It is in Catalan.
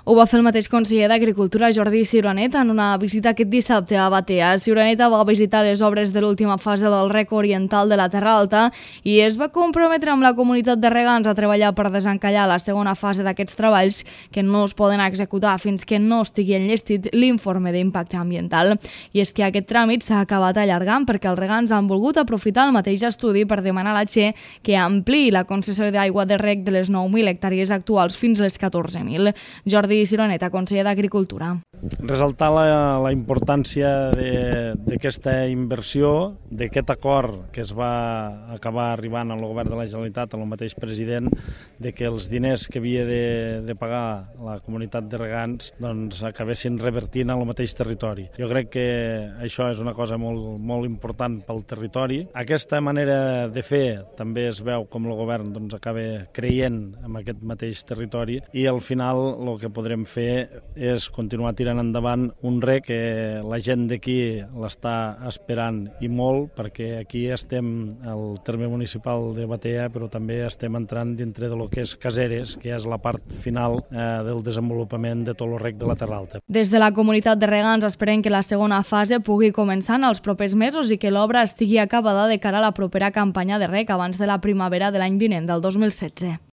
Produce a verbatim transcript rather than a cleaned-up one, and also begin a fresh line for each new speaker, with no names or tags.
Ho va fer el mateix conseller d'Agricultura, Jordi Ciuranet, en una visita aquest dissabte a Batea. Ciuranet va visitar les obres de l'última fase del rec oriental de la Terra Alta i es va comprometre amb la comunitat de regants a treballar per desencallar la segona fase d'aquests treballs que no es poden executar fins que no estigui enllestit l'informe d'impacte ambiental. I és que aquest tràmit s'ha acabat allargant perquè els regants han volgut aprofitar el mateix estudi per demanar a la Che que ampliï la concessió d'aigua de rec de les nou mil hectàrees actuals fins a les catorze mil. Jordi Ciuranet, conseller d'Agricultura.
Resaltar la, la importància d'aquesta inversió, d'aquest acord que es va acabar arribant al govern de la Generalitat, amb el mateix president, de que els diners que havia de, de pagar la comunitat de regants doncs, acabessin revertint al mateix territori. Jo crec que això és una cosa molt, molt important pel territori. Aquesta manera de fer també es veu com el govern doncs, acaba creient en aquest mateix territori i al final el que podrem fer és continuar tirant endavant un rec que la gent d'aquí l'està esperant i molt, perquè aquí estem al terme municipal de Batea, però també estem entrant dintre de lo que és Caseres, que és la part final eh, del desenvolupament de tot el rec de la Terra Alta.
Des de la comunitat de regants esperen que la segona fase pugui començar en els propers mesos i que l'obra estigui acabada de cara a la propera campanya de rec abans de la primavera de l'any vinent, del dos mil setze.